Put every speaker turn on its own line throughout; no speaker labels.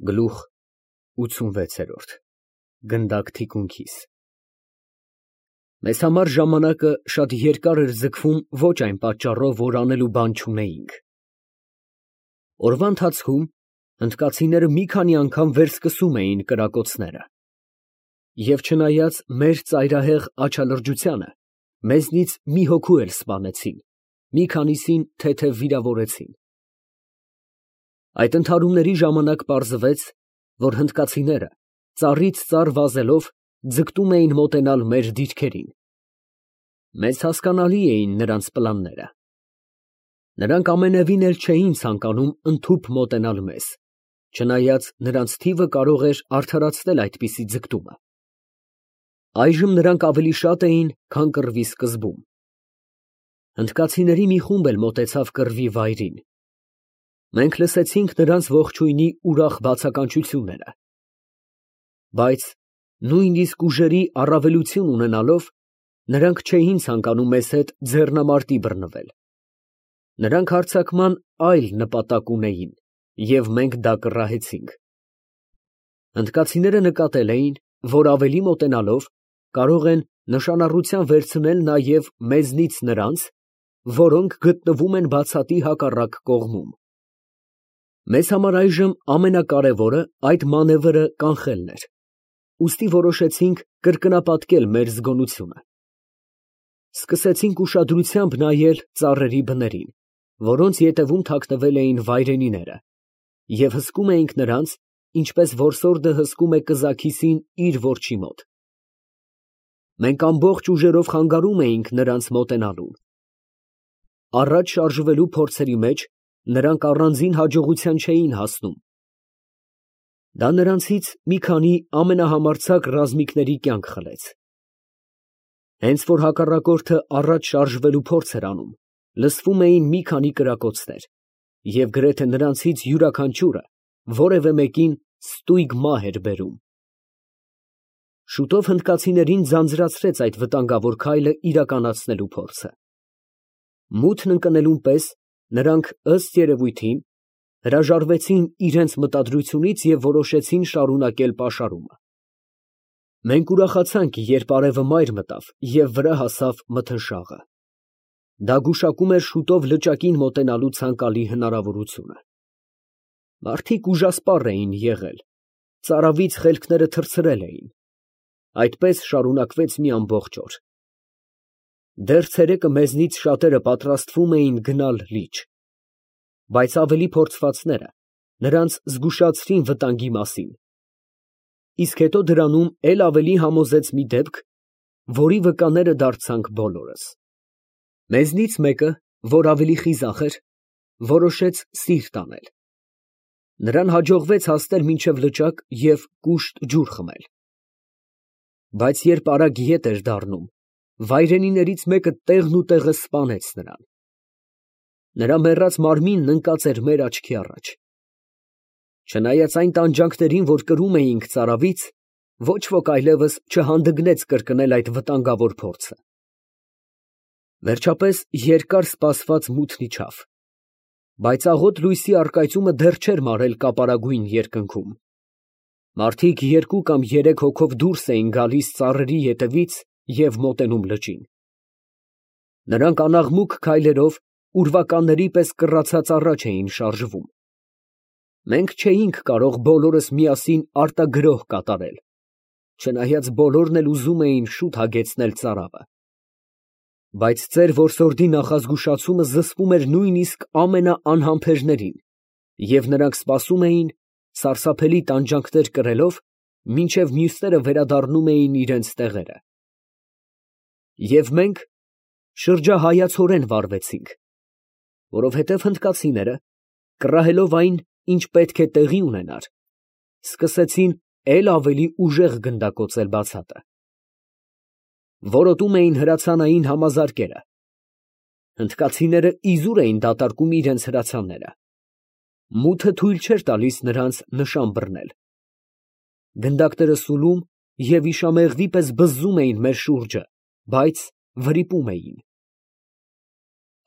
Գլուխ 86 Գնդակ թիկունքիս Մեզ համար ժամանակը շատ երկար էր ձգվում ոչ այն պատճառով, որ անելու բան չունեինք։ Օրվա ընթացքում հնդկացիները մի քանի անգամ վերսկսում էին կրակոցները, և չնայած մեր ծայրահեղ աչալրջությանը, մեզնից մի հոգու էլ սպանեցին, մի քանիսին թեթև վիրավորեցին։ Այդ ընդհարումների ժամանակ պարզվեց, որ հնդկացիները ծառից ծառ վազելով ձգտում էին մոտենալ մեր դիրքերին։ Մեզ հասկանալի էին նրանց պլանները։ Նրանք ամենևին էլ չէին ցանկանում ընդհուպ մոտենալ մեզ, չնայած նրանց թիվը կարող էր արդարացնել այդպիսի ձգտումը։ Այժմ նրանք ավելի շատ էին, քան կռվի սկզբում։ Հնդկացիների մի խումբ էլ մոտեցավ կռվի վայրին։ Մենք լսեցինք նրանց ողջույնի ուրախ բացականչությունները, բայց նույնիսկ ուժերի առավելություն ունենալով, նրանք չէին ցանկանում մեզ հետ ձեռնամարտի բռնվել։ Նրանք հարձակման այլ նպատակ ունեին, և մենք դա կռահեցինք։ Հնդկացիները նկատել էին, որ ավելի մոտենալով կարող են նշանառության վերցնել նաև մեզնից նրանց, որոնք գտնվում են բացատի հակառակ կողմում։ Մեզ համար այժմ ամենակարևորը այդ մանևրը կանխելն էր, ուստի որոշեցինք կրկնապատկել մեր զգոնությունը։ Սկսեցինք ուշադրությամբ նայել ծառերի բներին, որոնց ետևում թաքնվել էին վայրենիները, և հսկում էինք նրանց, ինչպես որսորդը հսկում է կզաքիսին իր որջի մոտ։ Մենք ամբողջ ուժերով խանգարում էինք նրանց մոտենալուն։ Առաջ շարժվելու փորձերի մեջ նրանք առանձին հաջողության չէին հասնում։ Դա նրանցից մի քանի ամենահամարձակ ռազմիկների կյանք խլեց։ Հենց որ հակառակորդը առաջ շարժվելու փորձ էր անում, լսվում էին մի քանի կրակոցներ, և գրեթե նրանցից յուրաքանչյուրը որևէ մեկին ստույգ մահ էր բերում։ Շուտով հնդկացիներին ձանձրացրեց այդ վտանգավոր քայլը իրականացնելու փորձը։ Մութն ընկնելուն պես նրանք, ըստ երևույթին, հրաժարվեցին իրենց մտադրությունից և որոշեցին շարունակել պաշարումը։ Մենք ուրախացանք, երբ արևը մայր մտավ և վրա հասավ մթնշաղը։ Դա գուշակում էր շուտով լճակին մոտենալու ցանկալի հնարավորությունը։ Մարդիկ ուժասպառ էին եղել, ծարավից խելքները թռցրել էին։ Այդպես շարունակվեց մի ամբողջ օր։ Դեռ ցերեկը մեզնից շատերը պատրաստվում էին գնալ լիճ, բայց ավելի փորձվածները նրանց զգուշացրին վտանգի մասին, իսկ հետո դրանում էլ ավելի համոզեց մի դեպք, որի վկաները դարձանք բոլորս։ Մեզնից մեկը, որ ավելի խիզախ էր, որոշեց սիրտ անել։ Նրան հաջողվեց հասնել մինչև լճակ և կուշտ ջուր խմել։ Բայց երբ արագ ետ էր դառնում, վայրենիներից մեկը տեղնուտեղը սպանեց նրան։ Նրա մեռած մարմինն ընկած էր մեր աչքի առաջ։ Չնայած այն տանջանքներին, որ կրում էինք ծարավից, ոչ ոք այլևս չհանդգնեց կրկնել այդ վտանգավոր փորձը։ Վերջապես երկար սպասված մութն իջավ, բայց աղոտ լույսի առկայծումը դեռ չէր մարել կապարագույն երկնքում։ Մարդիկ երկու կամ երեք հոգով դուրս էին գալիս ծառերի ետևից և մոտենում լճին։ Նրանք անաղմուկ քայլերով ուրվականների պես կռացած առաջ էին շարժվում։ Մենք չէինք կարող բոլորս միասին արտագրոհ կատարել, չնայած բոլորն էլ ուզում էին շուտ հագեցնել ծարավը։ Բայց ծեր որսորդի նախազգուշացումը զսպում էր նույնիսկ ամենաանհամբերներին, և նրանք սպասում էին, սարսափելի տանջանքներ կրելով, մինչև մյուսները վերադառնում էին իրենց տեղերը։ Եվ մենք շրջահայացորեն վարվեցինք, որովհետև հնդկացիները, կռահելով այն, ինչ պետք է տեղի ունենար, սկսեցին էլ ավելի ուժեղ գնդակոծել բացատը։ Որոտում էին հրացանային համազարկերը։ Հնդկացիները իզուր էին դատարկում իրենց հրացանները։ Մութը թույլ չէր տալիս նրանց նշան բռնել։ Գնդակները սուլում և իշամեղվի պես բզզում էին մեր շուրջը, բայց վրիպում էին։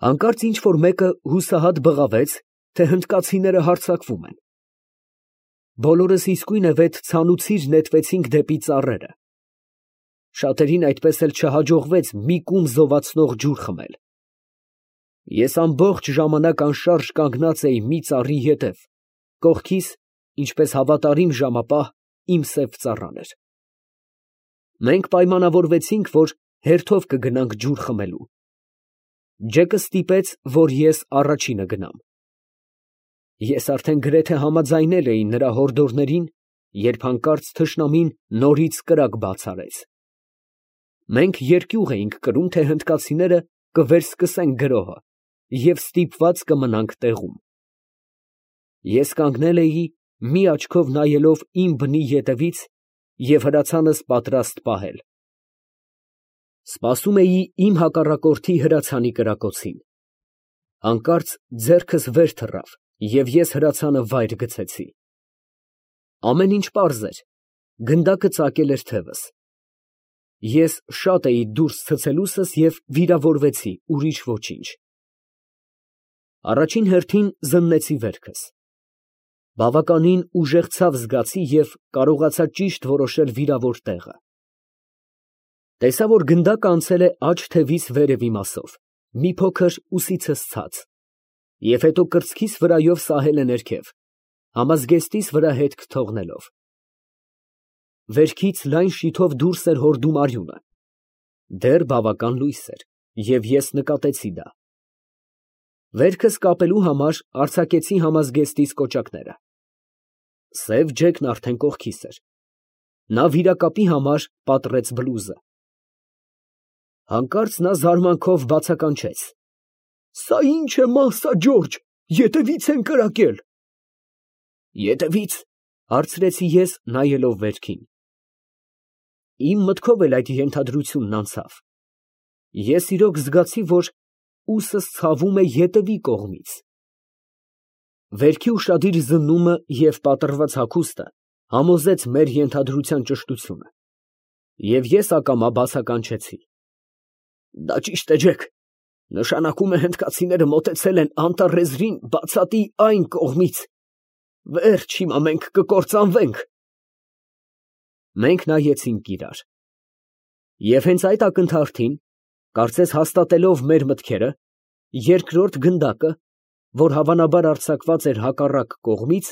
Հանկարծ ինչ֊որ մեկը հուսահատ բղավեց, թե հնդկացիները հարձակվում են։ բոլորս իսկույնևեթ ցանուցիր նետվեցինք դեպի ծառերը։ Շատերին այդպես էլ չհաջողվեց մի կում զովացնող ջուր խմել։ Ես ամբողջ ժամանակ անշարժ կանգնած էի մի ծառի ետև, կողքիս, ինչպես հավատարիմ ժամապահ, իմ սև ծառան էր։ Մենք պայմանավորվեցինք, որ հերթով կգնանք ջուր խմելու։ Ջեկը ստիպեց, որ ես առաջինը գնամ։ Ես արդեն գրեթե համաձայնել էի նրա հորդորներին, երբ հանկարծ թշնամին նորից կրակ բաց արեց։ Մենք երկյուղ էինք կրում, թե հնդկացիները կվերսկսեն գրոհը և ստիպված կմնանք տեղում։ Ես կանգնել էի, մի աչքով նայելով իմ բնի ետևից և հրացանս պատրաստ պահել։ Սպասում էի իմ հակառակորդի հրացանի կրակոցին։ Հանկարծ ձեռքս վեր թռավ, և ես հրացանը վայր գցեցի։ Ամեն ինչ պարզ էր, գնդակը ծակել էր թևս։ Ես շատ էի դուրս ցցելուսս և վիրավորվեցի, ուրիշ ոչինչ։ Առաջին հերթին զննեցի վերքս։ Բավականին ուժեղ ցավ զգացի և կարողացա ճիշտ որոշել վիրավոր տեղը։ Տեսա, որ գնդակը անցել է աջ թևիս վերևի մասով, մի փոքր ուսիցս ցած, և հետո կրծքիս վրայով սահել է ներքև, համազգեստիս վրա հետք թողնելով։ Վերքից լայն շիթով դուրս էր հորդում արյունը։ Դեռ բավական լույս էր, և ես նկատեցի դա։ Վերքս կապելու համար արձակեցի համազգեստիս կոճակները։ Սև ջեկն արդեն կողքիս էր։ Նա վիրակապի համար պատռեց բլուզը։ Հանկարծ նա զարմանքով բացականչեց. «Սա ի՞նչ է, Մահսա Ջորջ, ետևից են կրակել»։ «Ետևի՞ց», հարցրեցի ես, նայելով վերքին։ Իմ մտքով էլ այդ ենթադրությունն անցավ։ Ես իրոք զգացի, որ ուսս ցավում է ետևի կողմից։ Վերքի ուշադիր զննումը և պատռված հագուստը համոզեց մեր ենթադրության ճշտությունը, և ես ակամա բացականչեցի. «Դա ճիշտ է, Ջեք, նշանակում է հնդկացիները մոտեցել են անտառեզրին բացատի այն կողմից, վերջ, հիմա մենք կկործանվենք»։ Մենք նայեցինք իրար։ Եվ հենց այդ ակնթարթին, կարծես հաստատելով մեր մտքերը, երկրորդ գնդակը, որ հավանաբար արձակված էր հակառակ կողմից,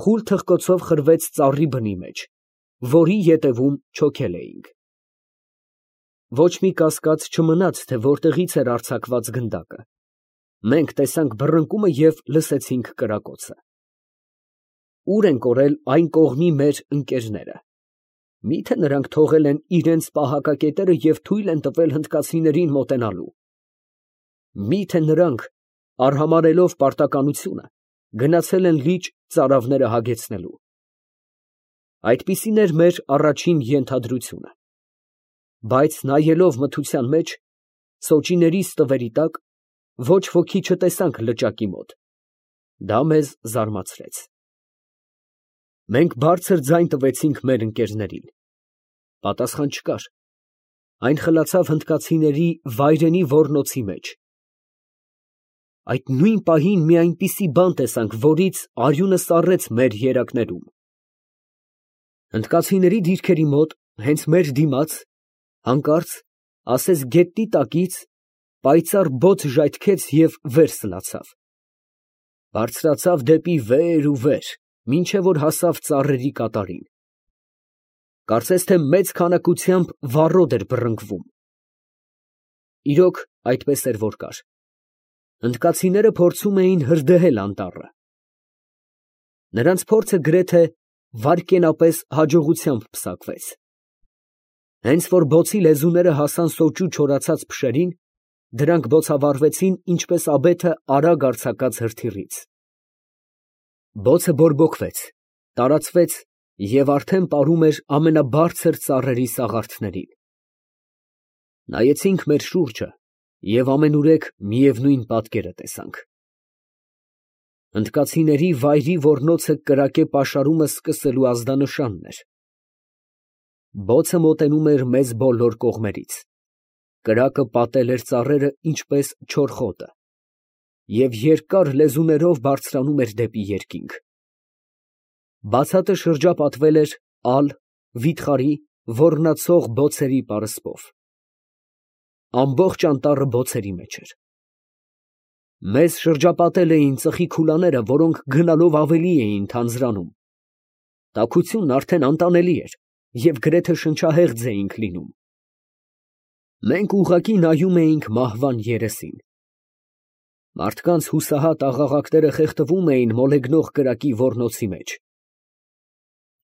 խուլ թխկոցով խրվեց ծառի բնի մեջ, որի ետևում չոքել էինք։ Ոչ մի կասկած չմնաց, թե որտեղից էր արձակված գնդակը։ Մենք տեսանք բռնկումը և լսեցինք կրակոցը։ Ուր են կորել այն կողմի մեր ընկերները։ Մի՞թե նրանք թողել են իրենց պահակակետերը և թույլ են տվել հնդկացիներին մոտենալու։ Մի՞թե նրանք, արհամարհելով պարտականությունը, գնացել են լիճ ծարավները հագեցնելու։ Այդպիսին էր մեր առաջին ենթադրությունը։ Բայց նայելով մթության մեջ, սոճիների ստվերի տակ, ոչ ոքի չտեսանք լճակի մոտ։ Դա մեզ զարմացրեց։ Մենք բարձր ձայն տվեցինք մեր ընկերներին։ Պատասխան չկար։ Այն խլացավ հնդկացիների վայրենի ոռնոցի մեջ։ Այդ նույն պահին մի այնպիսի բան տեսանք, որից արյունը սառեց մեր երակներում։ Հնդկացիների դիրքերի մոտ, հենց մեր դիմաց, հանկարծ, ասես գետնի տակից, պայծառ բոց ժայթքեց և վեր սլացավ։ Բարձրացավ դեպի վեր ու վեր, մինչև որ հասավ ծառերի կատարին։ Կարծես թե մեծ քանակությամբ վառոդ էր բռնկվում։ Իրոք, այդպես էր, որ կար։ Հնդկացիները փորձում էին հրդեհել անտառը։ Նրանց փորձը գրեթե վայրկենապես հաջողությամբ պսակվեց։ Հենց որ բոցի լեզուները հասան սոճու չորացած փշերին, դրանք բոցավառվեցին, ինչպես աբեթը արագ արձակած հրթիռից։ Բոցը բորբոքվեց, տարածվեց և արդեն պարում էր ամենաբարձր ծառերի սաղարթներին։ Նայեցինք մեր շուրջը և ամենուրեք միևնույն պատկերը տեսանք։ Հնդկացիների վայրի ոռնոցը կրակե պաշարումը սկսելու ազդանշանն էր։ Բոցը մոտենում էր մեզ բոլոր կողմերից։ Կրակը պատել էր ծառերը, ինչպես չոր խոտը, և երկար լեզուներով բարձրանում էր դեպի երկինք։ Բացատը շրջապատվել էր ալ, վիթխարի, ոռնացող բոցերի պարսպով։ Ամբողջ անտառը բոցերի մեջ էր։ Մեզ շրջապատել էին ծխի քուլաները, որոնք գնալով ավելի էին թանձրանում։ Տաքությունն արդեն անտանելի էր և գրեթե շնչահեղձ էինք լինում։ Մենք ուղղակի նայում էինք մահվան երեսին։ Մարդկանց հուսահատ աղաղակները խեղդվում էին մոլեգնող կրակի ոռնոցի մեջ։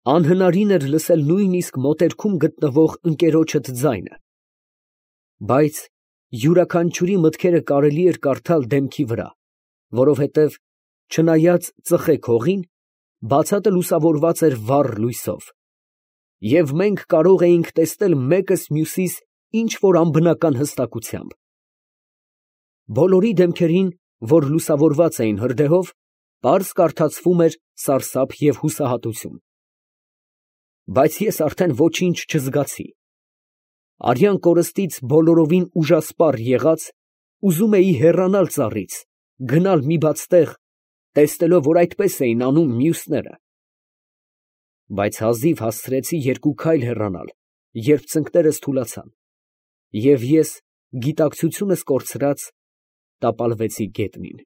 Անհնարին էր լսել նույնիսկ մոտերքում գտնվող ընկերոջդ ձայնը, բայց յուրաքանչյուրի մտքերը կարելի էր կարդալ դեմքի վրա, որովհետև չնայած ծխեք հողին, բացատը լուսավորված էր վառ լույսով, և մենք կարող էինք տեսնել մեկս մյուսիս ինչ֊որ անբնական հստակությամբ։ Բոլորի դեմքերին, որ լուսավորված էին հրդեհով, պարզ կարդացվում էր սարսափ և հուսահատություն։ Բայց ես արդեն ոչինչ չզգացի։ Արյան կորստից բոլորովին ուժասպառ եղած, ուզում էի հեռանալ ծառից, գնալ մի բաց տեղ, տեսնելով, որ այդպես էին անում մյուսները։ Բայց հազիվ հասցրեցի երկու քայլ հեռանալ, երբ ծնկներս թուլացան, և ես, գիտակցությունս կորցրած, տապալվեցի գետնին։